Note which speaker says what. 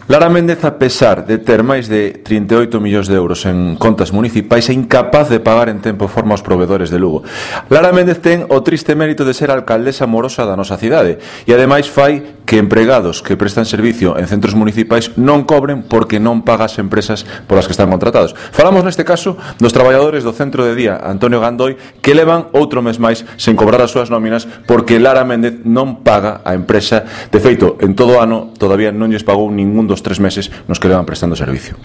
Speaker 1: Lara Méndez, a pesar de ter máis de 38 millóns de euros en contas municipais, é incapaz de pagar en tempo e forma aos provedores de Lugo. Lara Méndez ten o triste mérito de ser alcaldesa morosa da nosa cidade e ademais fai que empregados que prestan servicio en centros municipais non cobren porque non paga as empresas polas que están contratados. Falamos neste caso dos traballadores do centro de día Antonio Gandoi que levan outro mes máis sen cobrar as súas nóminas porque Lara Méndez non paga a empresa. De feito, en todo o ano todavía non lles pagou ningún dos 3 meses nos que levan prestando servicio.